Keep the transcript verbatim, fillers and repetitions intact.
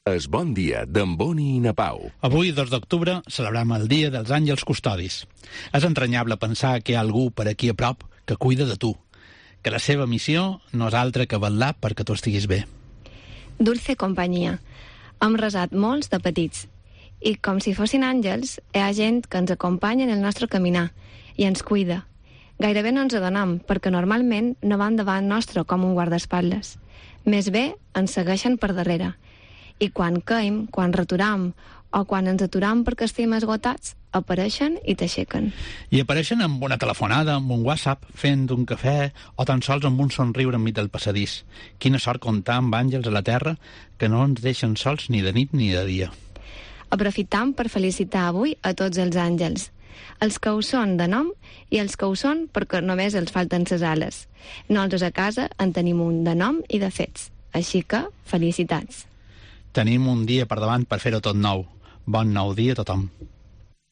Es bon dia d'en Boni i na Pau. Avui, dos d'octubre, celebrem el Dia dels Àngels Custodis. És entranyable pensar que hi ha algú per aquí a prop que cuida de tu, que la seva missió no és altra que vetllar perquè tu estiguis bé. Dulce companyia. Hem resat molts de petits. I com si fossin àngels, hi ha gent que ens acompanya en el nostre caminar i ens cuida. Gairebé no ens adonem, perquè normalment no van davant nostre com un guardaespatlles. Més bé, ens segueixen per darrere. I quan caim, quan returam o quan ens aturam perquè estem esgotats, apareixen i t'aixequen. I apareixen amb una telefonada, amb un WhatsApp, fent un cafè o tan sols amb un somriure enmig del passadís. Quina sort comptar amb àngels a la terra que no ens deixen sols ni de nit ni de dia. Aprofitam per felicitar avui a tots els àngels. Els que ho són de nom i els que ho són perquè només els falten ses ales. Nosaltres a casa en tenim un de nom i de fets. Així que, felicitats. Tenim un dia per davant per fer-ho tot nou. Bon nou dia a tothom.